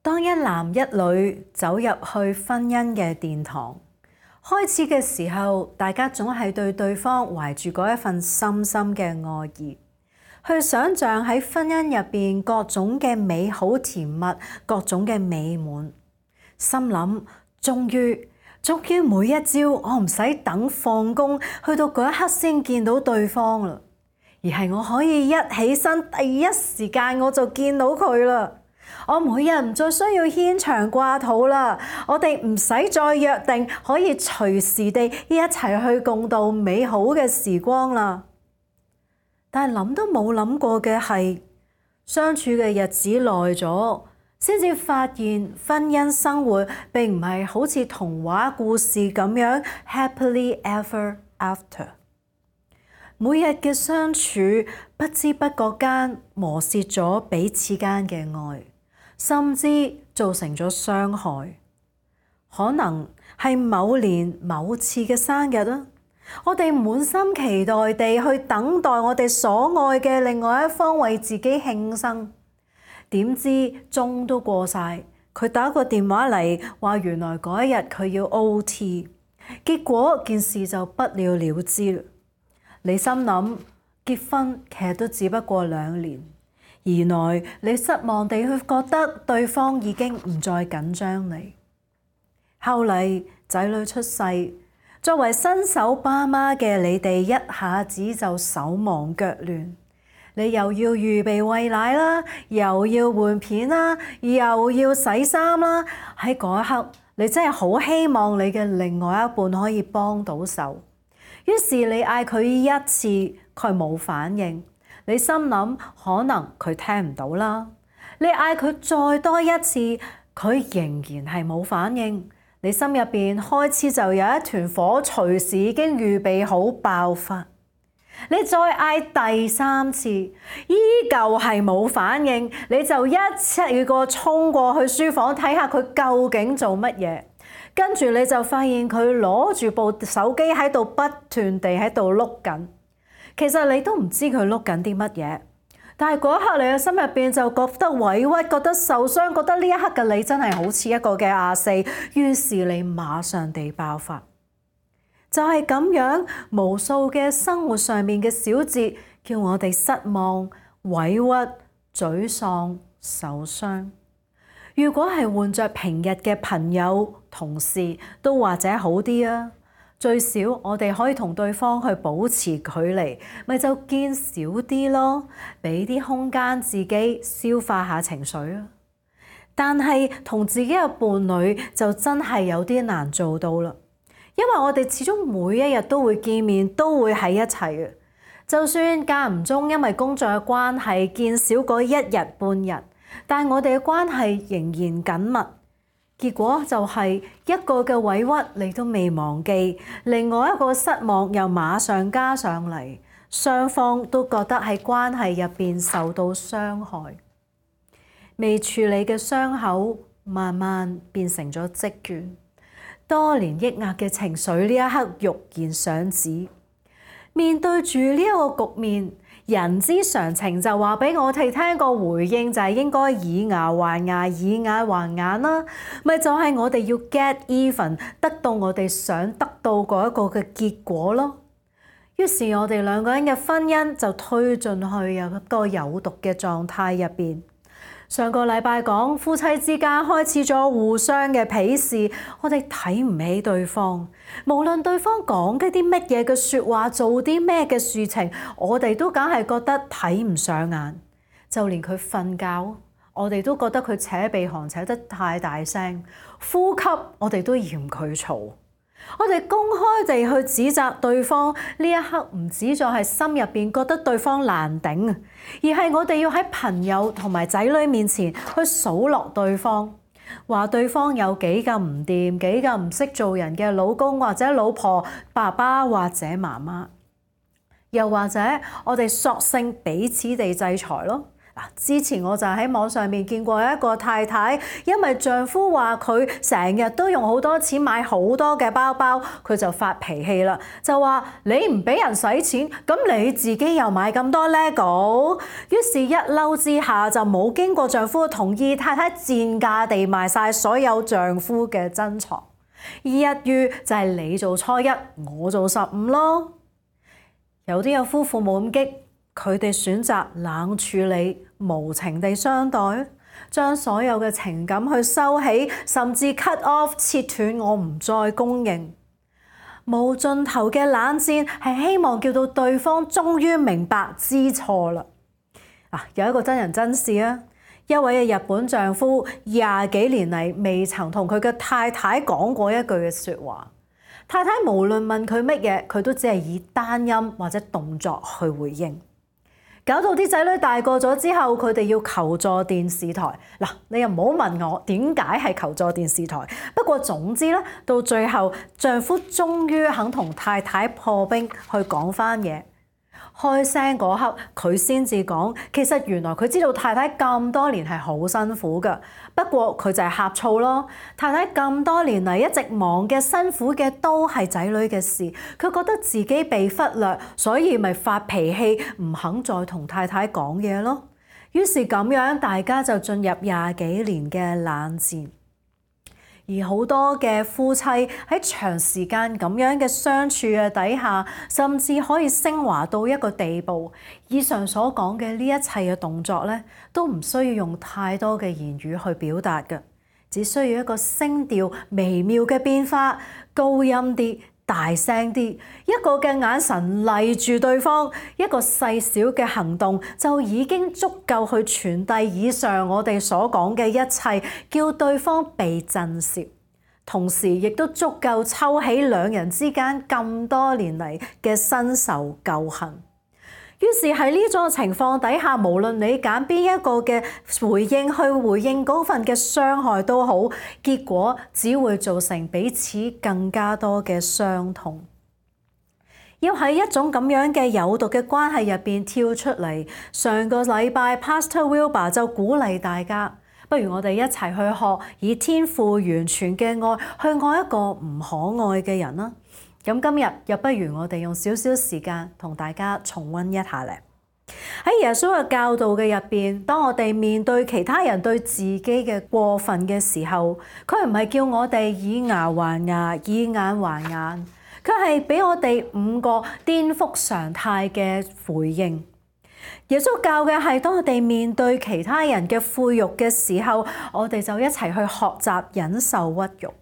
當一男一女走入去婚姻嘅殿堂，開始嘅時候，大家總係對對方懷住嗰一份深深嘅愛意，去想像喺婚姻入邊各種嘅美好甜蜜，各種嘅美滿。心諗，終於每一朝我唔使等放工，去到嗰一刻先見到對方啦，而係我可以一起身第一時間我就見到佢啦。我每日唔再需要牽腸掛肚啦，我哋唔使再約定，可以隨時地一齊去共度美好嘅時光啦。但係諗都冇諗過嘅係，相處嘅日子耐咗，先至發現婚姻生活並唔係好似童話故事咁樣 happily ever after。每日嘅相處，不知不覺間磨蝕咗彼此間嘅愛，甚至造成咗傷害。可能係某年某次嘅生日啦，我哋滿心期待地去等待我哋所愛嘅另外一方為自己慶生，點知鐘都過晒，佢打個電話嚟話原來嗰一日佢要 OT， 結果件事就不了了之啦。你心諗結婚其實都只不過2年，原來你失望地去覺得對方已經唔再緊張你。後嚟仔女出世，作為新手爸媽嘅你哋一下子就手忙腳亂，你又要預備餵奶啦，又要換片啦，又要洗衫啦。喺嗰一刻，你真係好希望你嘅另外一半可以幫到手。於是你嗌佢一次，佢冇反應，你心諗可能佢聽唔到啦。你嗌佢再多一次，佢仍然係冇反應。你心入邊開始就有一團火，隨時已經預備好爆發。你再嗌第3次，依舊係冇反應，你就一次過衝過去書房睇下佢究竟做乜嘢。跟住你就發現佢攞住部手機喺度不斷地喺度碌緊，其實你都唔知佢碌緊啲乜嘢，但係嗰一刻你嘅心入邊就覺得委屈，覺得受傷，覺得呢一刻嘅你真係好似一個嘅亞四，於是你馬上地爆發。就係咁樣，無數嘅生活上面嘅小節，叫我哋失望、委屈、沮喪、受傷。如果係換着平日嘅朋友、同事，都或者好啲啊。最少我哋可以同對方去保持距離，咪就見少啲咯，俾啲空間自己消化下情緒啊。但係同自己嘅伴侶就真係有啲難做到啦，因為我哋始終每一日都會見面，都會喺一齊嘅。就算間唔中因為工作嘅關係見少過1日半日，但我哋嘅關係仍然緊密，結果就係一個嘅委屈你都未忘記，另外一個失望又馬上加上嚟，雙方都覺得喺關係入邊受到傷害，未處理嘅傷口慢慢變成咗積倦，多年抑壓嘅情緒呢一刻欲言上止。面對住呢一個局面，人之常情就話俾我哋聽，個回應就係應該以牙還牙，以眼還眼啦。咪就係我哋要 get even， 得到我哋想得到嗰一個嘅結果咯。於是我哋2個人嘅婚姻就推進去有一個有毒嘅狀態入邊。上個禮拜講夫妻之間開始咗互相嘅鄙視，我哋睇唔起對方，無論對方講嘅啲乜嘢嘅説話，做啲咩嘅事情，我哋都梗係覺得睇唔上眼。就連佢瞓覺，我哋都覺得佢扯鼻鼾扯得太大聲，呼吸我哋都嫌佢嘈。我哋公開地去指責對方，呢一刻唔止在係心入邊覺得對方難頂，而係我哋要喺朋友同埋仔女面前去數落對方，話對方有幾咁唔掂，幾咁唔識做人嘅老公或者老婆、爸爸或者媽媽，又或者我哋索性彼此地制裁咯。之前我就喺網上面見過一個太太，因為丈夫話佢成日都用好多錢買好多嘅包包，佢就發脾氣啦，就話你唔俾人使錢，咁你自己又買咁多 LEGO， 於是一嬲之下就冇經過丈夫同意，太太賤價地賣晒所有丈夫嘅珍藏，一於就係你做初一，我做15咯。有啲有夫婦冇咁激，佢哋選擇冷處理，無情地相待，將所有嘅情感去收起，甚至 cut off 切斷，我唔再供應。無盡頭嘅冷戰係希望叫到對方終於明白知錯啦。有一個真人真事啊，一位嘅日本丈夫20幾年嚟未曾同佢嘅太太講過一句嘅説話，太太無論問佢乜嘢，佢都只係以單音或者動作去回應。搞到啲仔女大個咗之後，佢哋要求助電視台。你又唔好問我點解係求助電視台。不過總之咧，到最後丈夫終於肯同太太破冰去講返嘢。開聲嗰刻，佢先至講，其實原來佢知道太太咁多年係好辛苦㗎，不過佢就係呷醋咯。太太咁多年嚟一直忙嘅、辛苦嘅都係仔女嘅事，佢覺得自己被忽略，所以咪發脾氣，唔肯再同太太講嘢咯。於是咁樣，大家就進入20幾年嘅冷戰。而好多嘅夫妻喺長時間咁樣嘅相處嘅底下，甚至可以升華到一個地步。以上所講嘅呢一切嘅動作咧，都唔需要用太多嘅言語去表達嘅，只需要一個聲調微妙嘅變化，高音啲、大聲啲，一個嘅眼神勵住對方，一個細小嘅行動就已經足夠去傳遞以上我哋所講嘅一切，叫對方被震懾，同時亦都足夠抽起兩人之間咁多年嚟嘅新仇舊恨。於是喺呢種情況底下，無論你揀邊一個嘅回應去回應嗰份嘅傷害都好，結果只會造成彼此更加多嘅傷痛。要喺一種咁樣嘅有毒嘅關係入邊跳出嚟。上個禮拜 Pastor Wilbur 就鼓勵大家，不如我哋一齊去學以天父完全嘅愛去愛一個唔可愛嘅人啦。咁今日又不如我哋用少少時間同大家重溫一下咧。喺耶穌嘅教導嘅入邊，當我哋面對其他人對自己嘅過分嘅時候，佢唔係叫我哋以牙還牙、以眼還眼，佢係俾我哋5個顛覆常態嘅回應。耶穌教嘅係當我哋面對其他人嘅侮辱嘅時候，我哋就一齊去學習忍受屈辱。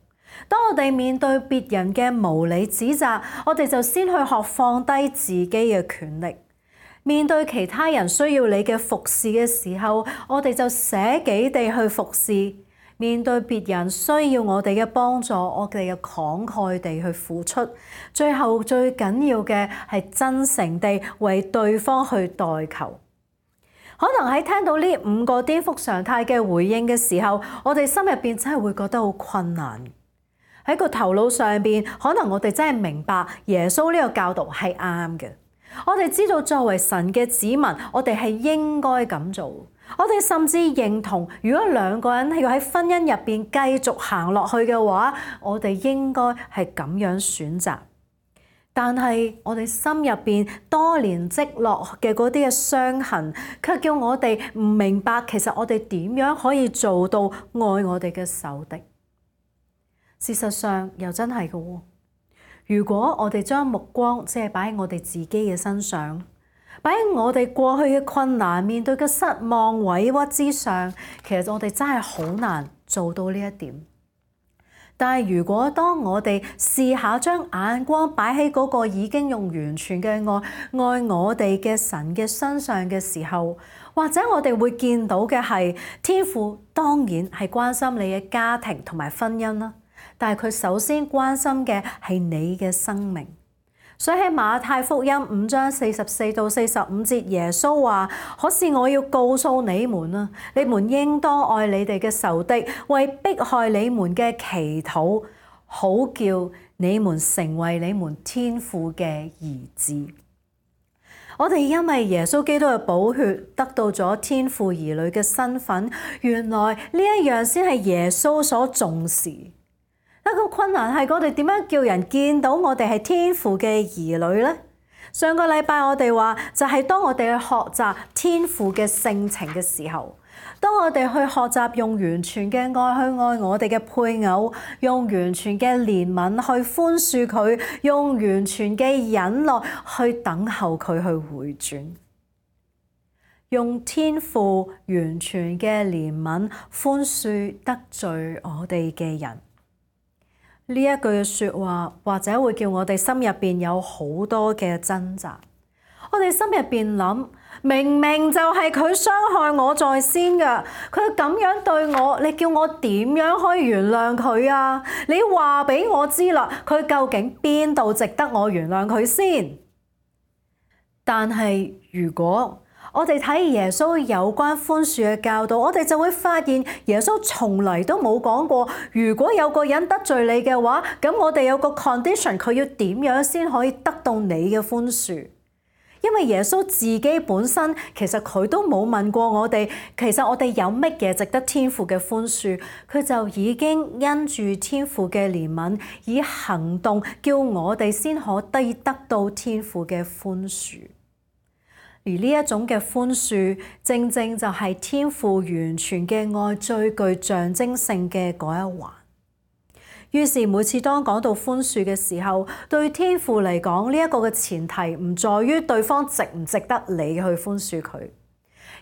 當我哋面對別人嘅無理指責，我哋就先去學放低自己嘅權力。面對其他人需要你嘅服侍嘅時候，我哋就捨己地去服侍。面對別人需要我哋嘅幫助，我哋要慷慨地去付出。最後最緊要嘅係真誠地為對方去代求。可能喺聽到呢5個顛覆常態嘅回應嘅時候，我哋心入邊真係會覺得好困難。喺個頭腦上邊，可能我哋真係明白耶穌呢個教導係啱嘅。我哋知道作為神嘅子民，我哋係應該咁做。我哋甚至認同，如果2個人要喺婚姻入邊繼續行落去嘅話，我哋應該係咁樣選擇。但係我哋心入邊多年積落嘅嗰啲嘅傷痕，卻叫我哋唔明白，其實我哋點樣可以做到愛我哋嘅仇敵。事實上又真係嘅喎。如果我哋將目光只係擺喺我哋自己嘅身上，擺喺我哋過去嘅困難、面對嘅失望、委屈之上，其實我哋真係好難做到呢一點。但係如果當我哋試下將眼光擺喺嗰個已經用完全嘅愛我哋嘅神嘅身上嘅時候，或者我哋會見到嘅係天父當然係關心你嘅家庭同埋婚姻啦。但係佢首先關心嘅係你嘅生命，所以喺馬太福音5章44到45節，耶穌話：可是我要告訴你們啊，你們應當愛你哋嘅仇敵，為迫害你們嘅祈禱，好叫你們成為你們天父嘅兒子。我哋因為耶穌基督嘅寶血得到咗天父兒女嘅身份，原來呢一樣先係耶穌所重視。一個困難係我哋點樣叫人見到我哋係天父嘅兒女呢？上個禮拜我哋話就係當我哋去學習天父嘅性情嘅時候，當我哋去學習用完全嘅愛去愛我哋嘅配偶，用完全嘅憐憫去寬恕佢，用完全嘅忍耐去等候佢去回轉，用天父完全嘅憐憫寬恕得罪我哋嘅人。呢一句嘅說話，或者會叫我哋心入邊有好多嘅掙扎。我哋心入邊諗，明明就係佢傷害我在先㗎，佢咁樣對我，你叫我點樣可以原諒佢啊？你話俾我知啦，佢究竟邊度值得我原諒佢先？但係如果我哋睇耶穌有關寬恕嘅教導，我哋就會發現耶穌從嚟都冇講過，如果有個人得罪你嘅話，咁我哋有個 condition， 佢要點樣先可以得到你嘅寬恕？因為耶穌自己本身其實佢都冇問過我哋，其實我哋有乜嘢值得天父嘅寬恕，佢就已經因住天父嘅憐憫，以行動叫我哋先可以得到天父嘅寬恕。而呢一種嘅寬恕，正正就係天父完全嘅愛最具象徵性嘅嗰一環。於是每次當講到寬恕嘅時候，對天父嚟講，呢一個嘅前提唔在於對方值唔值得你去寬恕佢，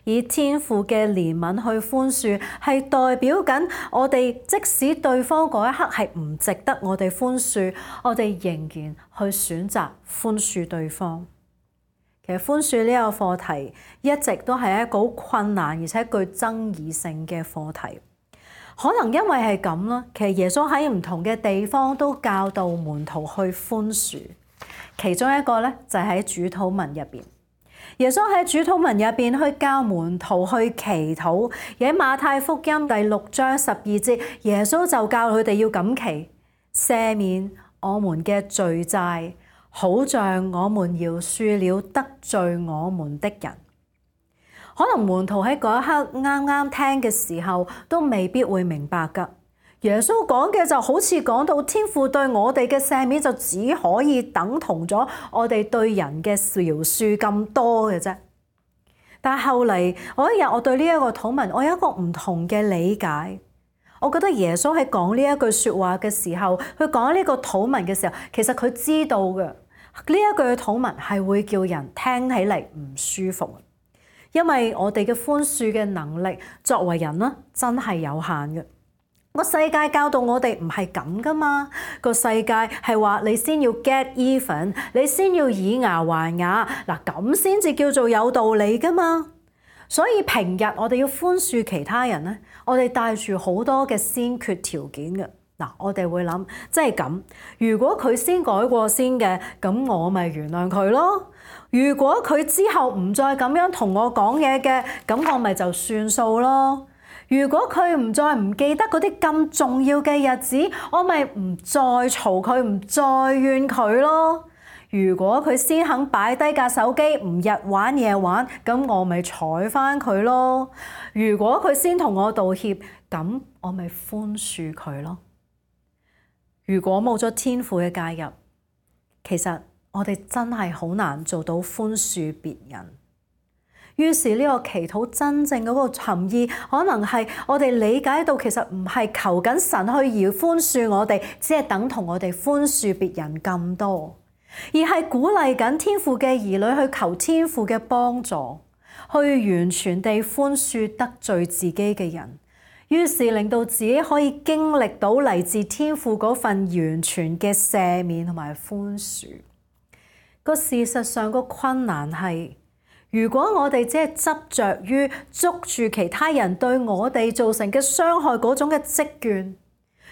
以天父嘅憐憫去寬恕，係代表緊我哋即使對方嗰一刻係唔值得我哋寬恕，我哋仍然去選擇寬恕對方。其實寬恕呢個課題一直都係一個好困難而且具爭議性嘅課題。可能因為係咁啦，其實耶穌喺唔同嘅地方都教導門徒去寬恕。其中一個咧就係喺主禱文入邊，耶穌喺主禱文入邊去教門徒去祈禱。而喺馬太福音第6章12節，耶穌就教佢哋要咁祈：赦免我們嘅罪債，好像我們饒恕了得罪我們的人。可能門徒喺嗰一刻啱啱聽嘅時候，都未必會明白㗎。耶穌講嘅就好似講到天父對我哋嘅赦免，就只可以等同咗我哋對人嘅饒恕咁多嘅啫。但係後嚟，有一日我對呢一個禱文，我有一個唔同嘅理解。我覺得耶穌喺講呢一句説話嘅時候，佢講呢個禱文嘅時候，其實佢知道嘅呢一句嘅禱文係會叫人聽起嚟唔舒服。因為我哋嘅寬恕嘅能力作為人啦，真係有限嘅。個世界教導我哋唔係咁噶嘛，個世界係話你先要 get even， 你先要以牙還牙，嗱咁先至叫做有道理噶嘛。所以平日我哋要寬恕其他人咧，我哋帶住好多嘅先決條件嘅。嗱，我哋會諗，即係咁，如果佢先改過先嘅，咁我咪原諒佢咯。如果佢之後唔再咁樣同我講嘢嘅，咁我咪就算數咯。如果佢唔再唔記得嗰啲咁重要嘅日子，我咪唔再嘈佢，唔再怨佢咯。如果佢先肯擺低架手機，唔日玩夜玩，咁我咪睬返佢咯。如果佢先同我道歉，咁我咪寬恕佢咯。如果冇咗天父嘅介入，其實我哋真係好難做到寬恕別人。於是呢個祈禱真正嗰個含義，可能係我哋理解到其實唔係求緊神去而寬恕我哋，只係等同我哋寬恕別人咁多，而係鼓勵緊天父嘅兒女去求天父嘅幫助，去完全地寬恕得罪自己嘅人。於是令到自己可以經歷到嚟自天父嗰份完全嘅赦免同埋寬恕。個事實上個困難係，如果我哋只係執着於捉住其他人對我哋造成嘅傷害嗰種嘅積怨，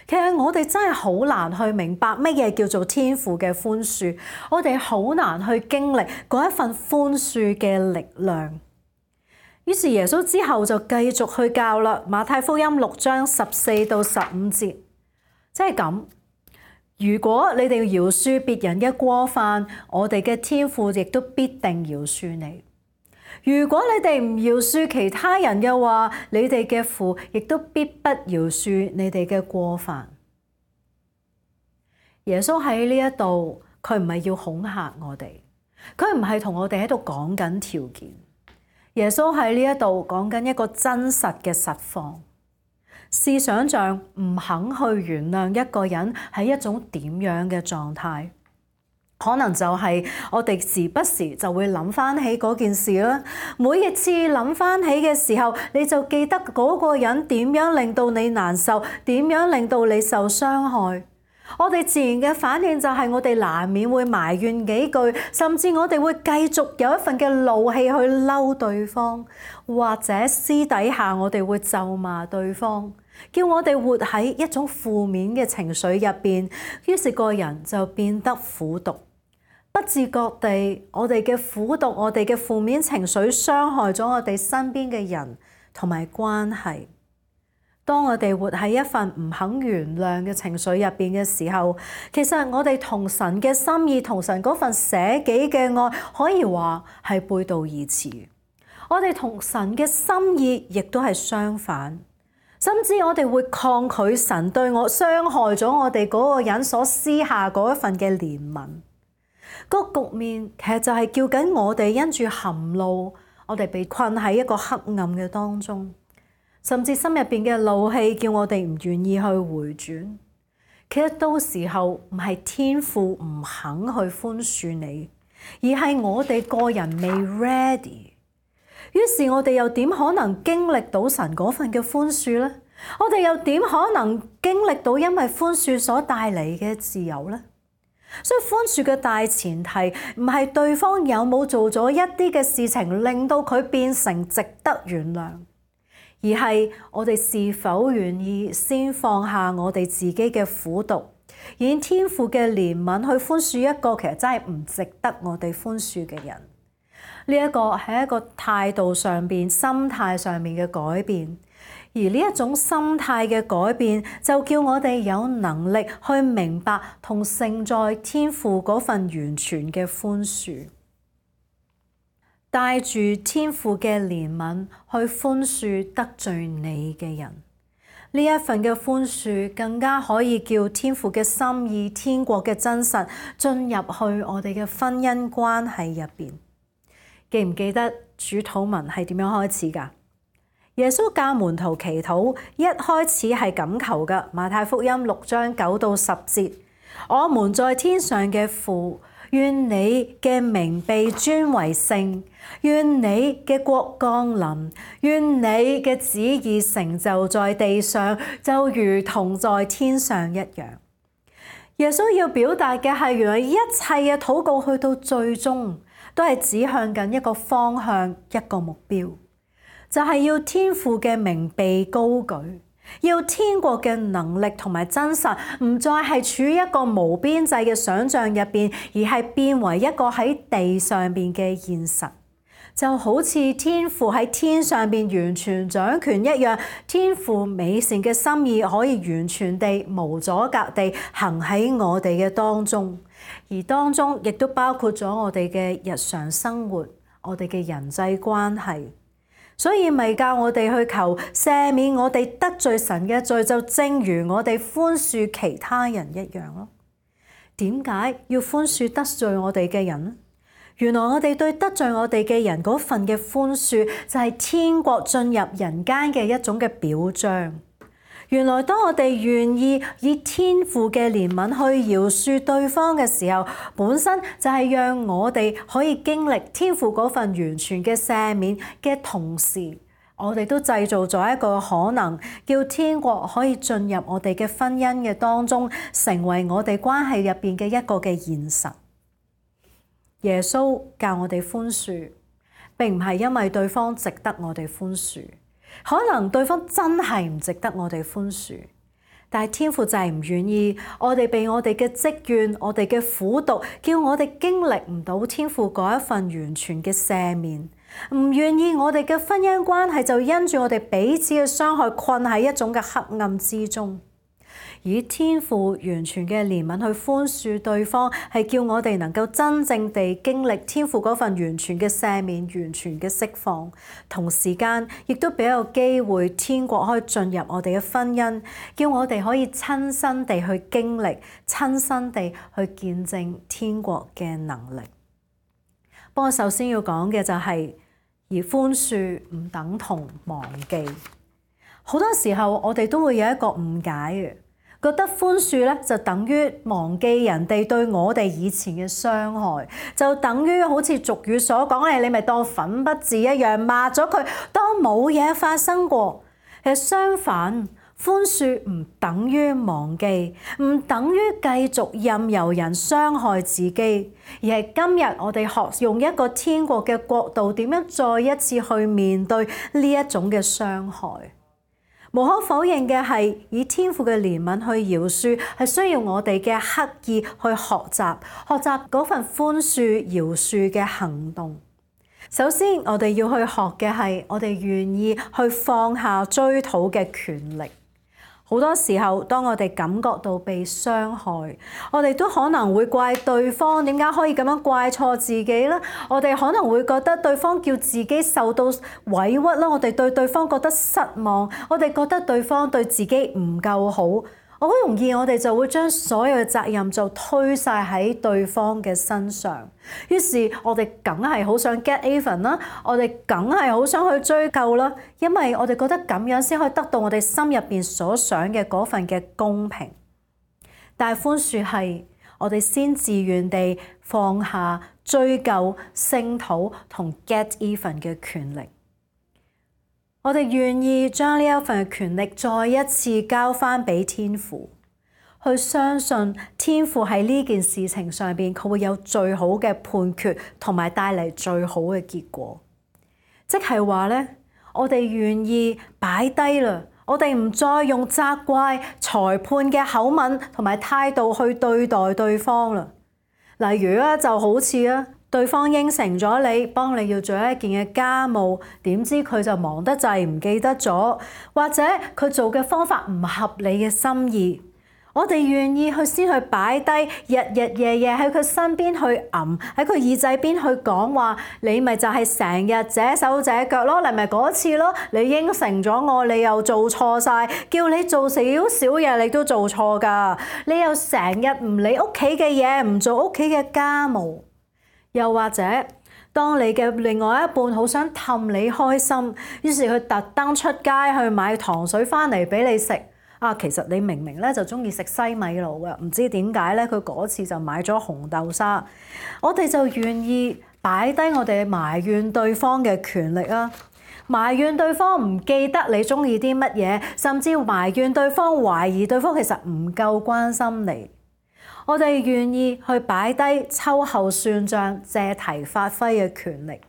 其實我哋真係好難去明白乜嘢叫做天父嘅寬恕，我哋好難去經歷嗰一份寬恕嘅力量。於是耶穌之後就繼續去教啦，馬太福音6章14到15節，即係咁。如果你哋饒恕別人嘅過犯，我哋嘅天父亦都必定饒恕你。如果你哋唔饒恕其他人嘅話，你哋嘅父亦都必不饒恕你哋嘅過犯。耶穌喺呢一度，佢唔係要恐嚇我哋，佢唔係同我哋喺度講緊條件。耶穌喺呢一度講緊一個真實嘅實況。試想像唔肯去原諒一個人係一種點樣嘅狀態？可能就係我哋時不時就會諗翻起嗰件事啦。每一次諗翻起嘅時候，你就記得嗰個人點樣令到你難受，點樣令到你受傷害。我哋自然嘅反應就係我哋難免會埋怨幾句，甚至我哋會繼續有一份嘅怒氣去嬲對方，或者私底下我哋會咒罵對方，叫我哋活喺一種負面嘅情緒入邊，於是個人就變得苦毒。不自覺地，我哋嘅苦毒，我哋嘅負面情緒傷害咗我哋身邊嘅人同埋關係。當我哋活喺一份唔肯原諒嘅情緒入邊嘅時候，其實我哋同神嘅心意，同神嗰份捨己嘅愛，可以話係背道而馳。我哋同神嘅心意亦都係相反，甚至我哋會抗拒神對我傷害咗我哋嗰個人所施下嗰一份嘅憐憫。個局面其實就係叫緊我哋因住含怒，我哋被困喺一個黑暗嘅當中。甚至心入邊嘅怒氣叫我哋唔願意去回轉。其實到時候唔係天父唔肯去寬恕你，而係我哋個人未 ready。於是我哋又點可能經歷到神嗰份嘅寬恕呢？我哋又點可能經歷到因為寬恕所帶嚟嘅自由呢？所以寬恕嘅大前提唔係對方有冇做咗一啲嘅事情令到佢變成值得原諒，而係我哋是否願意先放下我哋自己嘅苦毒，以天父嘅憐憫去寬恕一個其實真係唔值得我哋寬恕嘅人。呢一個係一個態度上邊、心態上面嘅改變，而呢一種心態嘅改變就叫我哋有能力去明白同承載天父嗰份完全嘅寬恕。帶住天父嘅憐憫去寬恕得罪你嘅人，呢一份嘅寬恕更加可以叫天父嘅心意、天國嘅真實進入去我哋嘅婚姻關係入邊。記唔記得主禱文係點樣開始㗎？耶穌教門徒祈禱，一開始係咁求㗎。馬太福音6章9到10節：我們在天上嘅父，願你嘅名被尊為聖，願你嘅國降臨，願你嘅旨意成就在地上，就如同在天上一樣。耶穌要表達嘅係，原來一切嘅禱告去到最終都係指向緊一個方向、一個目標，就係要天父嘅名被高舉，要天國嘅能力同埋真實唔再係處於一個無邊際嘅想像入邊，而係變為一個喺地上邊嘅現實。就好似天父喺天上邊完全掌權一樣，天父美善嘅心意可以完全地無阻隔地行喺我哋嘅當中，而當中亦都包括咗我哋嘅日常生活，我哋嘅人際關係。所以咪教我哋去求赦免我哋得罪神嘅罪，就正如我哋寬恕其他人一樣咯。點解要寬恕得罪我哋嘅人呢？原來我哋對得罪我哋嘅人嗰份嘅寬恕，就係天國進入人間嘅一種嘅表彰。原來當我哋願意以天父嘅憐憫去饒恕對方嘅時候，本身就係讓我哋可以經歷天父嗰份完全嘅赦免嘅同時，我哋都製造咗一個可能，叫天國可以進入我哋嘅婚姻嘅當中，成為我哋關係入邊嘅一個嘅現實。耶穌教我哋寬恕，並唔係因為對方值得我哋寬恕，可能對方真係唔值得我哋寬恕，但係天父就係唔願意我哋被我哋嘅積怨、我哋嘅苦毒，叫我哋經歷唔到天父嗰一份完全嘅赦免，唔願意我哋嘅婚姻關係就因住我哋彼此嘅傷害困喺一種嘅黑暗之中。以天父完全嘅憐憫去寬恕對方，係叫我哋能夠真正地經歷天父嗰份完全嘅赦免、完全嘅釋放。同時間亦都俾個機會天國可以進入我哋嘅婚姻，叫我哋可以親身地去經歷、親身地去見證天國嘅能力。不過首先要講嘅就係，而寬恕唔等同忘記。好多時候我哋都會有一個誤解嘅。覺得寬恕咧就等於忘記人哋對我哋以前嘅傷害，就等於好似俗語所講，你咪當粉筆字一樣抹咗佢，當冇嘢發生過。其實相反，寬恕唔等於忘記，唔等於繼續任由人傷害自己，而係今日我哋學用一個天國嘅角度，點樣再一次去面對呢一種嘅傷害。無可否認嘅係，以天父嘅憐憫去饒恕，係需要我哋嘅刻意去學習嗰份寬恕、饒恕嘅行動。首先，我哋要去學嘅係，我哋願意去放下追討嘅權力。好多時候，當我哋感覺到被傷害，我哋都可能會怪對方點解可以咁樣怪錯自己咧？我哋可能會覺得對方叫自己受到委屈啦，我哋對對方覺得失望，我哋覺得對方對自己唔夠好。好容易我哋就會將所有嘅責任就推晒喺對方嘅身上，於是我哋梗係好想 get even 啦，我哋梗係好想去追究啦，因為我哋覺得咁樣先可以得到我哋心入邊所想嘅嗰份嘅公平。但係寬恕係我哋先自願地放下追究、聲討同 get even 嘅權力。我哋願意將呢一份權力再一次交翻俾天父，去相信天父喺呢件事情上邊，佢會有最好嘅判決同埋帶嚟最好嘅結果。即係話咧，我哋願意擺低啦，我哋唔再用責怪、裁判嘅口吻同埋態度去對待對方啦。例如咧，就好似啊，對方應承咗你，幫你要做一件嘅家務，點知佢就忙得滯唔記得咗，或者佢做嘅方法唔合你嘅心意，我哋願意先去擺低，日日夜夜喺佢身邊去喺佢耳仔邊去講話，你咪就係成日這手這腳咯，你咪嗰次咯，你應承咗我，你又做錯晒，叫你做少少嘢你都做錯㗎，你又成日唔理屋企嘅嘢，唔做屋企嘅家務。又或者，當你嘅另外一半好想氹你開心，於是佢特登出街去買糖水翻嚟俾你食。其實你明明咧就中意食西米露嘅，唔知點解咧佢嗰次就買咗紅豆沙。我哋就願意擺低我哋埋怨對方嘅權力啊，埋怨對方唔記得你中意啲乜嘢，甚至埋怨對方懷疑對方其實唔夠關心你。我哋願意去擺低秋後算賬、借題發揮嘅權力，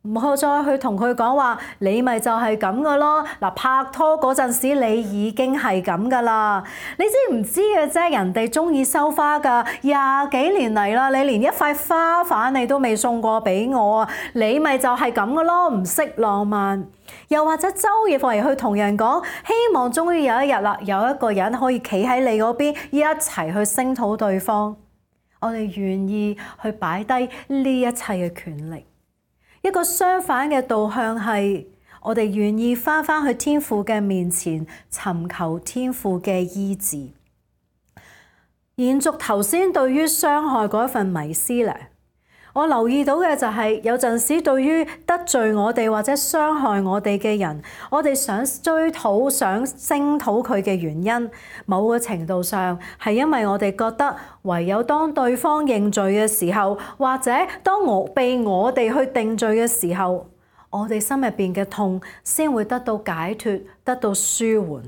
唔好再去同佢講話，你咪就係咁噶咯。嗱，拍拖嗰陣時你已經係咁噶啦，你知唔知嘅啫？人哋中意收花噶，20幾年嚟啦，你連一塊花瓣你都未送過俾我啊！你咪就係咁噶咯，唔識浪漫。又或者周而復始去同人講，希望終於有一日啦，有一個人可以企喺你嗰邊，一齊去聲討對方。我哋願意去擺低呢一切嘅權力。一個相反嘅導向係，我哋願意返去天父嘅面前，尋求天父嘅醫治。延續頭先對於傷害嗰一份迷思咧。我留意到嘅就係，有陣時對於得罪我哋或者傷害我哋嘅人，我哋想追討、想聲討佢嘅原因，某個程度上係因為我哋覺得唯有當對方認罪嘅時候，或者當被我哋去定罪嘅時候，我哋心入邊嘅痛先會得到解脫、得到舒緩。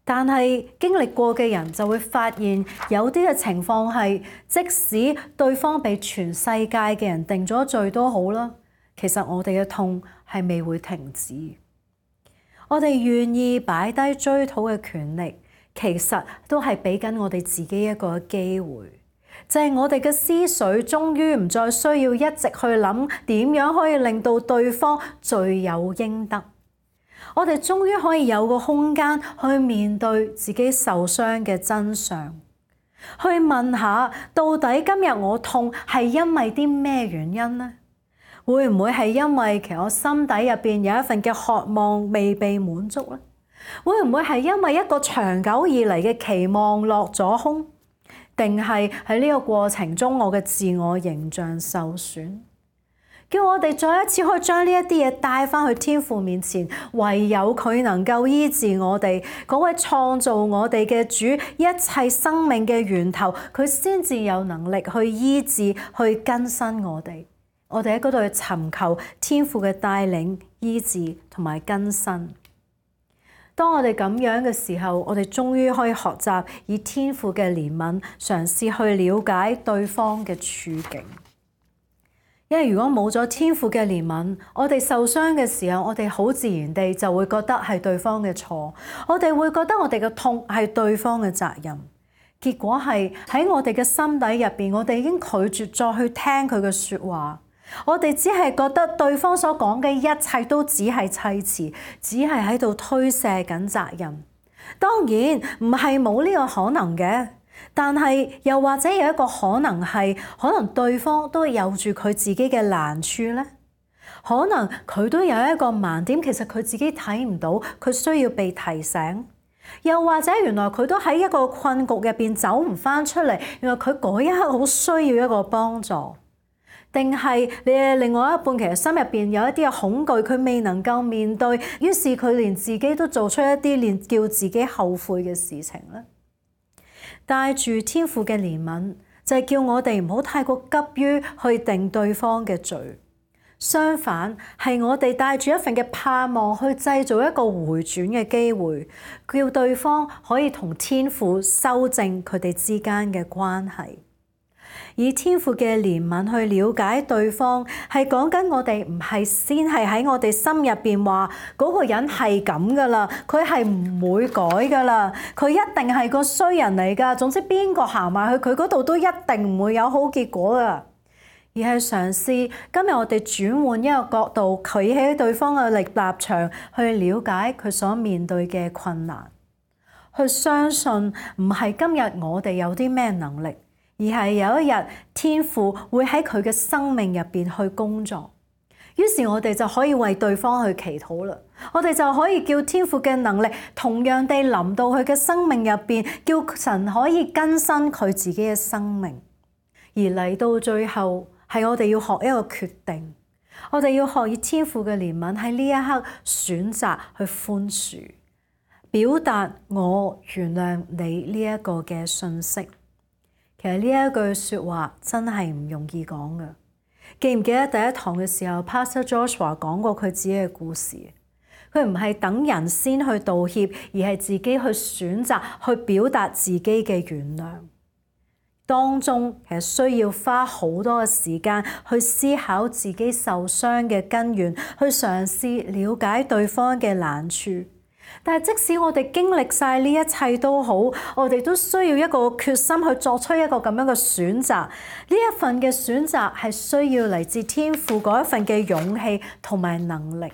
但係經歷過嘅人就會發現，有啲嘅情況係，即使對方被全世界嘅人定咗罪都好啦，其實我哋嘅痛係未會停止。我哋願意擺低追討嘅權力，其實都係俾緊我哋自己一個機會，就係我哋嘅思緒終於唔再需要一直去諗點樣可以令到對方罪有應得。我哋終於可以有個空間去面對自己受傷嘅真相，去問下到底今日我痛係因為啲咩原因呢？會唔會係因為其實我心底入邊有一份嘅渴望未被滿足呢？會唔會係因為一個長久以嚟嘅期望落咗空？定係喺呢個過程中我嘅自我形象受損？叫我哋再一次可以將呢一啲嘢帶翻去天父面前，唯有佢能夠醫治我哋，嗰位創造我哋嘅主，一切生命嘅源頭，佢先至有能力去醫治、去更新我哋。我哋喺嗰度去尋求天父嘅帶領、醫治同埋更新。當我哋咁樣嘅時候，我哋終於可以學習以天父嘅憐憫，嘗試去了解對方嘅處境。因為如果冇咗天父嘅憐憫，我哋受傷嘅時候，我哋好自然地就會覺得係對方嘅錯，我哋會覺得我哋嘅痛係對方嘅責任。結果係喺我哋嘅心底入邊，我哋已經拒絕再去聽佢嘅說話，我哋只係覺得對方所講嘅一切都只係砌詞，只係喺度推卸緊責任。當然唔係冇呢個可能嘅。但係又或者有一個可能係，可能對方都有住佢自己嘅難處咧，可能佢都有一個盲點，其實佢自己睇唔到，佢需要被提醒。又或者原來佢都喺一個困局入邊走唔翻出嚟，原來佢嗰一刻好需要一個幫助。定係你嘅另外一半其實心入邊有一啲嘅恐懼，佢未能夠面對，於是佢連自己都做出一啲連叫自己後悔嘅事情咧。帶住天父嘅憐憫，就係叫我哋唔好太過急於去定對方嘅罪，相反係我哋帶住一份嘅盼望去製造一個回轉嘅機會，叫對方可以同天父修正佢哋之間嘅關係。以天父嘅憐憫去了解對方，係講緊我哋唔係先係喺我哋心入邊話嗰個人係咁噶啦，佢係唔會改噶啦，佢一定係個衰人嚟噶。總之邊個行埋去佢嗰度都一定唔會有好結果噶。而係嘗試今日我哋轉換一個角度，企喺對方嘅立場去了解佢所面對嘅困難，去相信唔係今日我哋有啲咩能力，而係有一日天父會喺佢嘅生命入邊去工作，於是我哋就可以為對方去祈禱啦。我哋就可以叫天父嘅能力同樣地臨到佢嘅生命入邊，叫神可以更新佢自己嘅生命。而嚟到最後係我哋要學一個決定，我哋要學以天父嘅憐憫喺呢一刻選擇去寬恕，表達我原諒你呢一個嘅訊息。其實呢一句說話真係唔容易講㗎。記唔記得第一堂嘅時候 Pastor Joshua 講過佢自己嘅故事？佢唔係等人先去道歉，而係自己去選擇去表達自己嘅原諒。當中其實需要花好多嘅時間去思考自己受傷嘅根源，去嘗試了解對方嘅難處。但係即使我哋經歷晒呢一切都好，我哋都需要一個決心去作出一個咁樣嘅選擇。呢一份嘅選擇係需要嚟自天父嗰一份嘅勇氣同埋能力。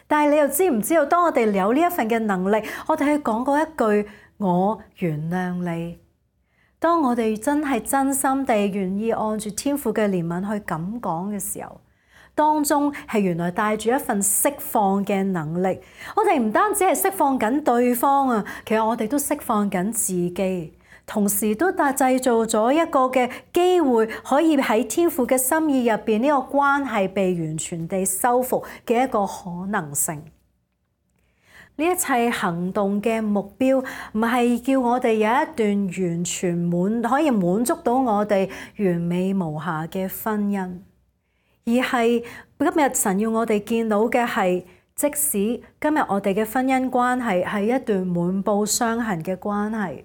但係你又知唔知道，當我哋有呢一份嘅能力，我哋去講嗰一句我原諒你。當我哋真係真心地願意按住天父嘅憐憫去咁講嘅時候，當中係原來帶住一份釋放嘅能力。我哋唔單止係釋放緊對方啊，其實我哋都釋放緊自己，同時都製造咗一個嘅機會，可以喺天父嘅心意入邊呢個關係被完全地修復嘅一個可能性。呢一切行動嘅目標唔係叫我哋有一段完全可以滿足到我哋完美無瑕嘅婚姻，而係今日神要我哋見到嘅係，即使今日我哋嘅婚姻關係係一段滿布傷痕嘅關係，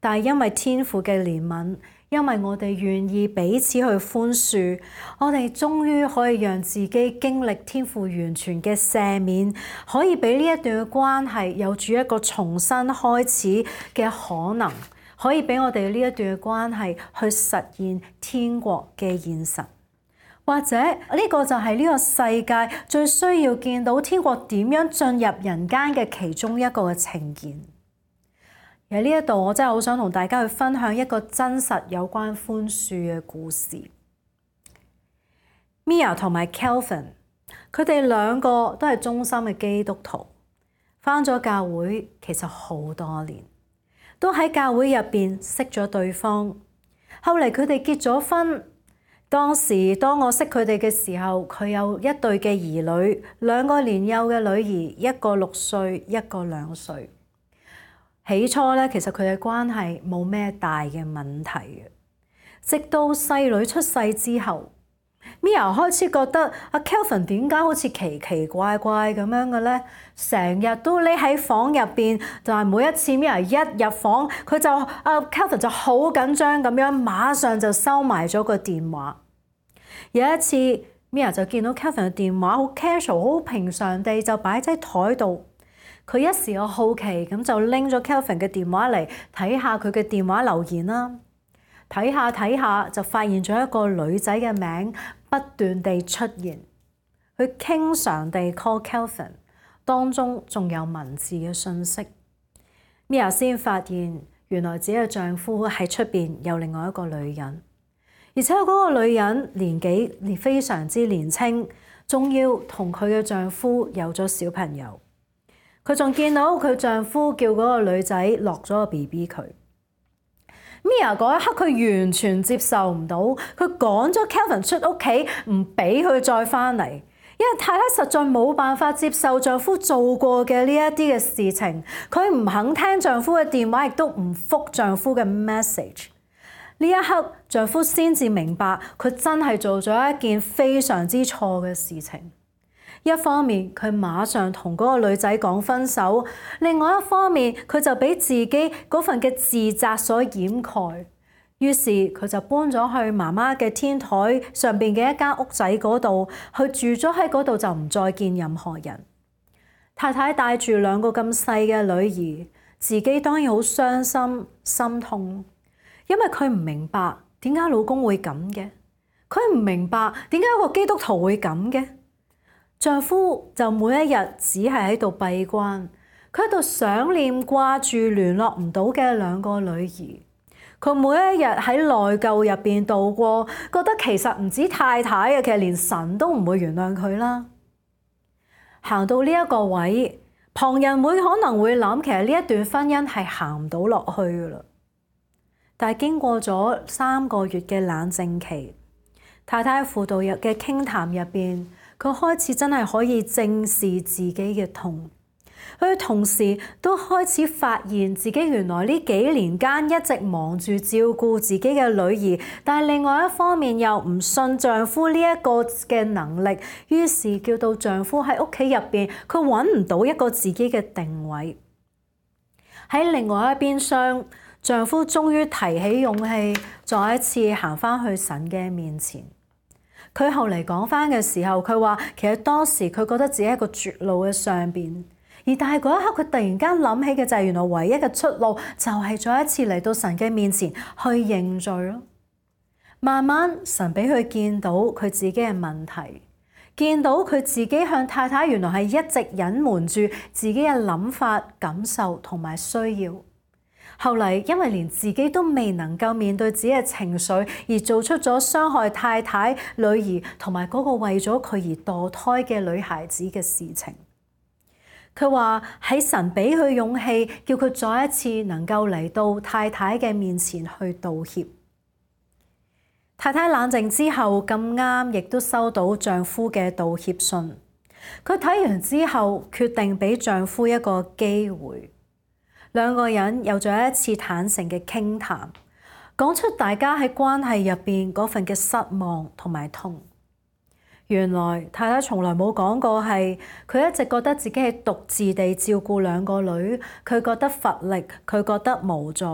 但係因為天父嘅憐憫，因為我哋願意彼此去寬恕，我哋終於可以讓自己經歷天父完全嘅赦免，可以俾呢一段嘅關係有住一個重新開始嘅可能，可以俾我哋呢一段嘅關係去實現天國嘅現實。或者呢個就係呢個世界最需要見到天國點樣進入人間嘅其中一個嘅呈現。而喺呢一度，我真係好想同大家去分享一個真實有關寬恕嘅故事。Mia 同埋 Kelvin， 佢哋兩個都係忠心嘅基督徒，返咗教會其實好多年，都喺教會入邊識咗對方。後嚟佢哋結咗婚。當我識佢哋嘅時候，佢有一對嘅兒女，2個年幼嘅女兒，一個6歲，一個2歲。起初咧，其實佢嘅關係冇咩大嘅問題嘅，直到細女出世之後，Mia 開始覺得阿 Kelvin 點解好似奇奇怪怪咁樣嘅咧？成日都匿喺房入邊，但係每一次 Mia 一入房，佢就Kelvin 就好緊張咁樣，馬上就收埋咗個電話。有一次 Mia 就見到 Kelvin 嘅電話好 casual 好平常地就擺喺台度，佢一時有好奇咁就拎咗 Kelvin 嘅電話嚟睇下佢嘅電話留言啦。睇下就發現咗一個女仔嘅名不斷地出現，佢經常地 call Kelvin， 當中仲有文字嘅信息。Mia 先發現原來自己嘅丈夫喺出邊有另外一個女人。而且嗰個女人年紀非常之年輕，仲要同佢嘅丈夫有咗小朋友。佢仲見到佢丈夫叫嗰個女仔落咗個 BB 佢。Mia 嗰一刻佢完全接受唔到，佢趕咗 Kelvin 出屋企，唔俾佢再返嚟，因為太太實在冇辦法接受丈夫做過嘅呢一啲嘅事情，佢唔肯聽丈夫嘅電話，亦都唔覆丈夫嘅 message。呢一刻，丈夫先至明白佢真係做咗一件非常之錯嘅事情。一方面，佢馬上同嗰個女仔講分手；另外一方面，佢就俾自己嗰份嘅自責所掩蓋。於是佢就搬咗去媽媽嘅天台上邊嘅一間屋仔嗰度，去住咗喺嗰度就唔再見任何人。太太帶住2個咁細嘅女兒，自己當然好傷心心痛。因為佢唔明白點解老公會咁嘅，佢唔明白點解一個基督徒會咁嘅。丈夫就每一日只係喺度閉關，佢喺度想念掛住聯絡唔到嘅2個女兒。佢每一日喺內疚入邊度過，覺得其實唔止太太嘅，其實連神都唔會原諒佢啦。行到呢一個位，旁人可能會諗，其實呢一段婚姻係行唔到落去噶啦。但係經過咗3個月嘅冷靜期，太太喺輔導日嘅傾談入邊，佢開始真係可以正視自己嘅痛。佢同時都開始發現自己原來呢幾年間一直忙住照顧自己嘅女兒，但係另外一方面又唔信丈夫呢一個嘅能力，於是叫到丈夫喺屋企入邊，佢揾唔到一個自己嘅定位。喺另外一邊廂，丈夫終於提起勇氣，再一次行返去神嘅面前。佢後嚟講返嘅時候，佢話其實當時佢覺得自己喺一個絕路嘅上邊，但係嗰一刻佢突然間諗起嘅就係原來唯一嘅出路就係再一次嚟到神嘅面前去認罪咯。慢慢神俾佢見到佢自己嘅問題，見到佢自己向太太原來係一直隱瞞住自己嘅諗法、感受同埋需要。後嚟因為連自己都未能夠面對自己嘅情緒，而做出咗傷害太太、女兒同埋嗰個為咗佢而墮胎嘅女孩子嘅事情。佢話喺神俾佢勇氣，叫佢再一次能夠嚟到太太嘅面前去道歉。太太冷靜之後咁啱，亦都收到丈夫嘅道歉信。佢睇完之後，決定俾丈夫一個機會。2個人有咗一次坦誠嘅傾談，講出大家喺關係入邊嗰份嘅失望同埋痛。原來太太從來冇講過係佢一直覺得自己係獨自地照顧2個女，佢覺得乏力，佢覺得無助，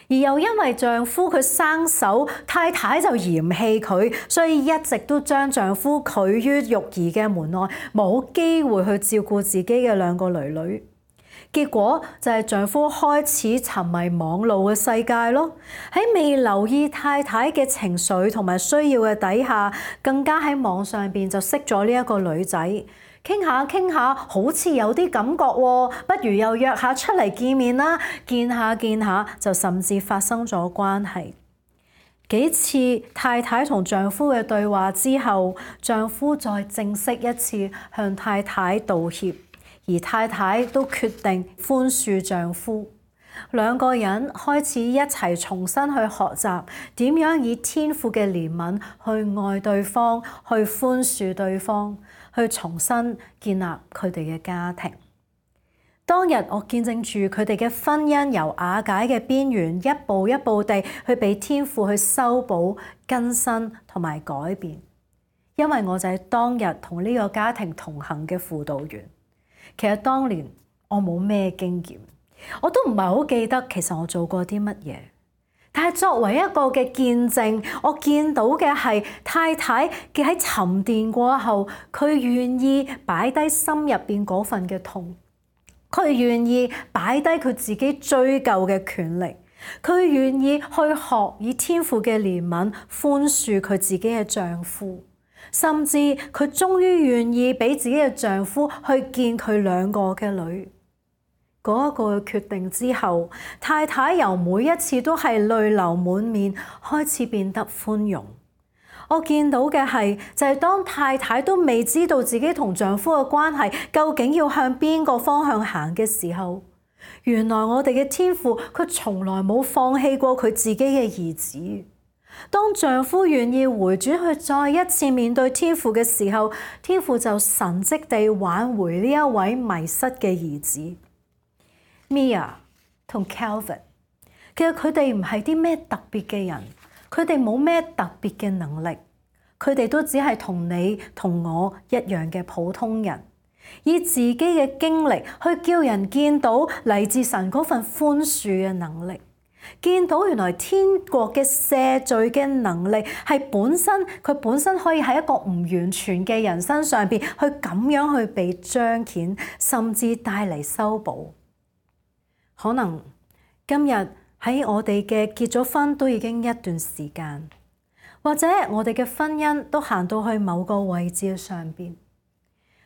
而又因為丈夫佢生手，太太就嫌棄佢，所以一直都將丈夫拒於育兒嘅門外，冇機會去照顧自己嘅2個女女。結果就係丈夫開始沉迷網絡嘅世界咯。喺未留意太太嘅情緒同埋需要嘅底下，更加喺網上邊就識咗呢一個女仔，傾下傾下，好似有啲感覺喎，不如又約下出嚟見面啦。見下就甚至發生咗關係。幾次太太同丈夫嘅對話之後，丈夫再正式一次向太太道歉，而太太都決定寬恕丈夫。兩個人開始一齊重新去學習點樣以天父嘅憐憫去愛對方，去寬恕對方，去重新建立佢哋嘅家庭。當日我見證住佢哋嘅婚姻由瓦解嘅邊緣，一步一步地去被天父去修補、更新同埋改變。因為我就係當日同呢個家庭同行嘅輔導員。其實當年我冇咩經驗，我都唔係好記得其實我做過啲乜嘢。但係作為一個嘅見證，我見到嘅係太太嘅喺沉澱過後，佢願意擺低心入邊嗰份嘅痛。佢願意擺低佢自己追究嘅權力，佢願意去學以天父嘅憐憫寬恕佢自己嘅丈夫，甚至佢終於願意俾自己嘅丈夫去見佢兩個嘅女。嗰一個決定之後，太太由每一次都係淚流滿面，開始變得寬容。我見到嘅係就係當太太都未知道自己同丈夫嘅關係究竟要向邊個方向行嘅時候，原來我哋嘅天父佢從來冇放棄過佢自己嘅兒子。當丈夫願意回轉去再一次面對天父嘅時候，天父就神蹟地挽回呢一位迷失嘅兒子。Mia 同 Calvin， 其實佢哋唔係啲咩特別嘅人。佢哋冇咩特別嘅能力，佢哋都只係同你同我一樣嘅普通人，以自己嘅經歷去叫人見到嚟自神嗰份寬恕嘅能力，見到原來天國嘅赦罪嘅能力係佢本身可以喺一個唔完全嘅人身上邊去咁樣去被彰顯，甚至帶嚟修補。可能今日喺我哋嘅結咗婚都已經一段時間，或者我哋嘅婚姻都行到去某個位置嘅上邊，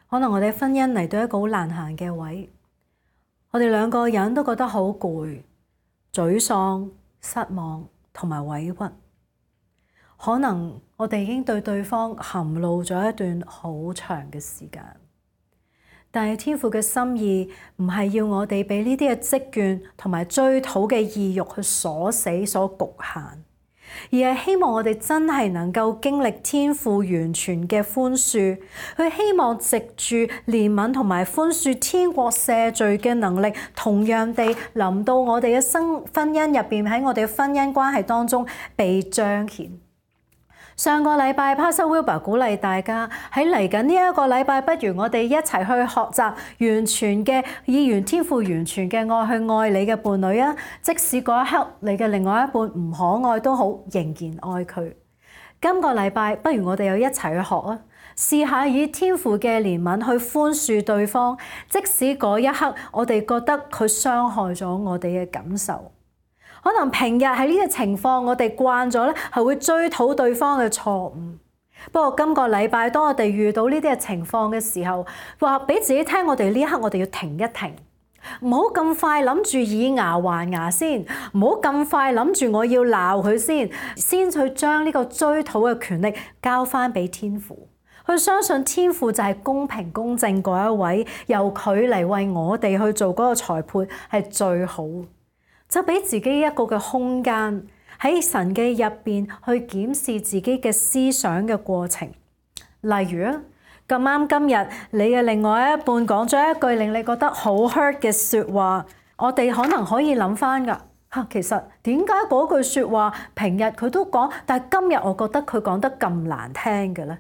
可能我哋婚姻嚟到一個好難行嘅位，我哋兩個人都覺得好攰、沮喪、失望同埋委屈。可能我哋已經對對方含怒咗一段好長嘅時間。但係天父嘅心意唔係要我哋俾呢啲嘅積怨同埋追討嘅意欲去鎖死、所局限，而係希望我哋真係能夠經歷天父完全嘅寬恕，佢希望藉住憐憫同埋寬恕天國赦罪嘅能力，同樣地臨到我哋嘅婚姻入邊，喺我哋嘅婚姻關係當中被彰顯。上個禮拜 Pastor Wilbur 鼓勵大家喺嚟緊呢一個禮拜，不如我哋一齊去學習完全嘅以天父完全嘅愛去愛你嘅伴侶啊！即使嗰一刻你嘅另外一半唔可愛都好，仍然愛佢。今個禮拜不如我哋又一齊去學啊！試下以天父嘅憐憫去寬恕對方，即使嗰一刻我哋覺得佢傷害咗我哋嘅感受。可能平日喺呢個情況，我哋慣咗咧，係會追討對方嘅錯誤。不過今個禮拜，當我哋遇到呢啲嘅情況嘅時候，話俾自己聽，我哋呢一刻我哋要停一停，唔好咁快諗住以牙還牙先，唔好咁快諗住我要鬧佢先去將呢個追討嘅權力交翻俾天父。去相信天父就係公平公正嗰一位，由佢嚟為我哋去做嗰個裁判係最好。就俾自己一個嘅空間喺神嘅入邊去檢視自己嘅思想嘅過程。例如啊，咁啱今日你嘅另外一半講咗一句令你覺得好 hurt 嘅説話，我哋可能可以諗翻㗎嚇。其實點解嗰句説話平日佢都講，但係今日我覺得佢講得咁難聽嘅咧？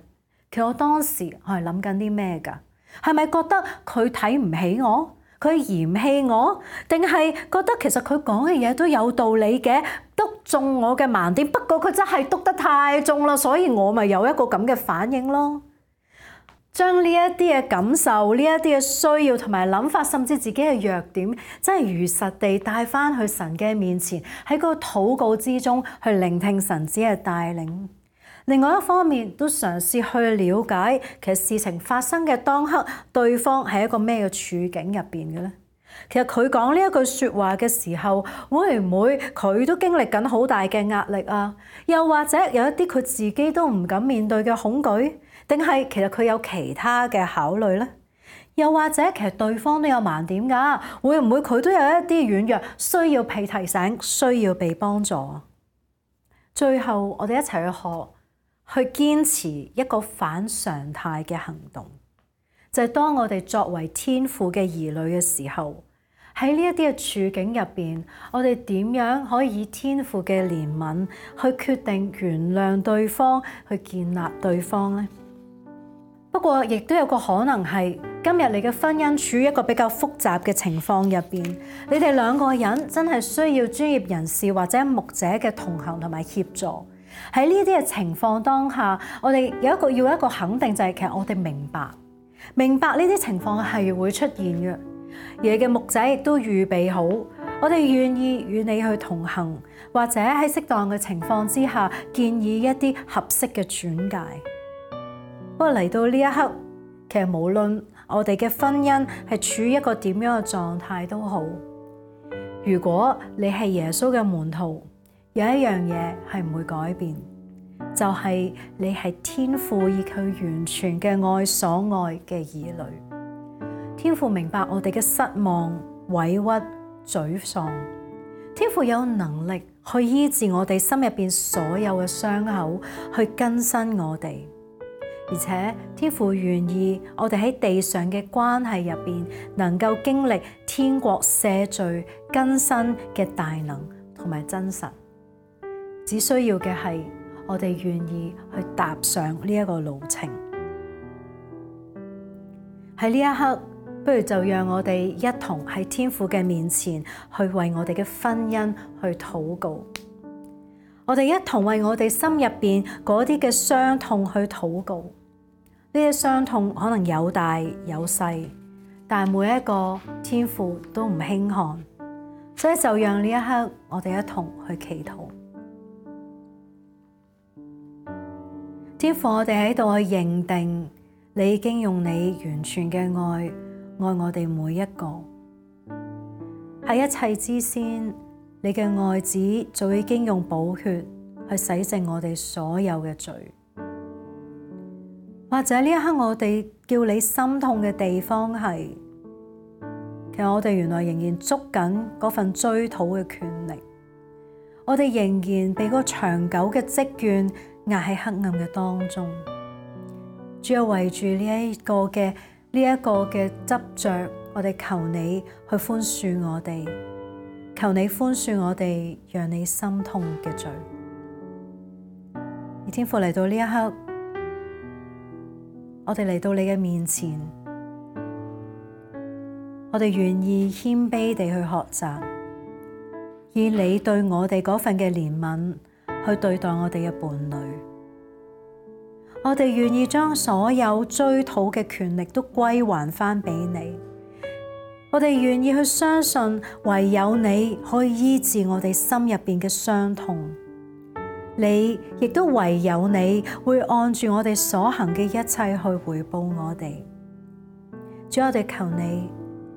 其實我當時我係諗緊啲咩㗎？係咪覺得佢睇唔起我？佢嫌棄我，定係覺得其實佢講嘅嘢都有道理嘅，篤中我嘅盲點。不過佢真係篤得太重啦，所以我咪有一個咁嘅反應咯。將呢一啲嘅感受、呢一啲嘅需要同埋諗法，甚至自己嘅弱點，真係如實地帶翻去神嘅面前，喺個禱告之中去聆聽神子嘅帶領。另外一方面，都嘗試去了解其實事情發生嘅當刻，對方係一個咩嘅處境入邊嘅咧？其實佢講呢一句説話嘅時候，會唔會佢都經歷緊好大嘅壓力啊？又或者有一啲佢自己都唔敢面對嘅恐懼，定係其實佢有其他嘅考慮咧？又或者其實對方都有盲點㗎，會唔會佢都有一啲軟弱，需要被提醒，需要被幫助？最後我哋一齊去學，去堅持一個反常態嘅行動，就係當我哋作為天父嘅兒女嘅時候，喺呢一啲嘅處境入邊，我哋點樣可以以天父嘅憐憫去決定原諒對方，去建立對方呢？不過亦都有個可能係，今日你嘅婚姻處於一個比較複雜嘅情況入邊，你哋兩個人真係需要專業人士或者牧者嘅同行同埋協助。喺呢啲嘅情況當下，我哋要一個肯定，就係其實我哋明白呢啲情況係會出現嘅，而你嘅牧者亦都預備好，我哋願意與你去同行，或者喺適當嘅情況之下建議一啲合適嘅轉介。不過嚟到呢一刻，其實無論我哋嘅婚姻係處於一個點樣嘅狀態都好，如果你係耶穌嘅門徒，有一樣嘢係唔會改變，就係你係天父以佢完全嘅愛所愛嘅兒女。天父明白我哋嘅失望、委屈、沮喪，天父有能力去醫治我哋心入邊所有嘅傷口，去更新我哋。而且天父願意我哋喺地上嘅關係入邊，能夠經歷天國赦罪更新嘅大能同埋真實。只需要嘅係我哋願意去踏上呢一個路程。喺呢一刻，不如就讓我哋一同喺天父嘅面前去為我哋嘅婚姻去禱告。我哋一同為我哋心入邊嗰啲嘅傷痛去禱告。呢啲傷痛可能有大有細，但每一個天父都唔輕看，所以就讓呢一刻我哋一同去祈禱。天父，我哋喺度去認定你已經用你完全嘅愛我哋每一個。喺一切之先，你嘅愛子早已經用寶血去洗淨我哋所有嘅罪。或者呢一刻我哋叫你心痛嘅地方係，其實我哋原來仍然捉緊嗰份追討嘅權力，我哋仍然被嗰個長久嘅積怨壓喺黑暗嘅當中。主要圍住呢一個嘅執着，我哋求你去寬恕我哋，求你寬恕我哋讓你心痛嘅罪。而天父嚟到呢一刻，我哋嚟到你嘅面前，我哋願意謙卑地去學習，以你對我哋嗰份嘅憐憫去對待我哋嘅伴侶。我哋願意將所有追討嘅權力都歸還返俾你。我哋願意去相信，唯有你可以醫治我哋心入邊嘅傷痛。你亦都唯有你會按住我哋所行嘅一切去回報我哋。主，我哋求你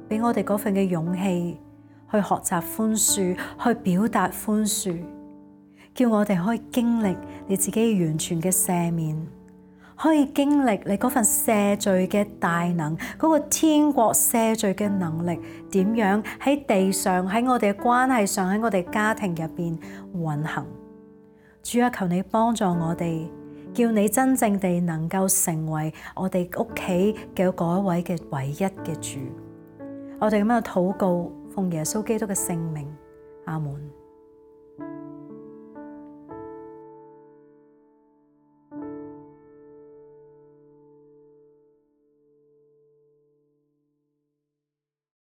俾我哋嗰份嘅勇氣去學習寬恕，去表達寬恕，叫我哋可以經歷你自己完全嘅赦免，可以經歷你嗰份赦罪嘅大能，嗰個天國赦罪嘅能力點樣喺地上，喺我哋嘅關係上，喺我哋家庭入邊運行。主啊，求你幫助我哋，叫你真正地能夠成為我哋屋企嘅嗰一位嘅唯一嘅主。我哋咁樣禱告，奉耶穌基督嘅聖名，阿門。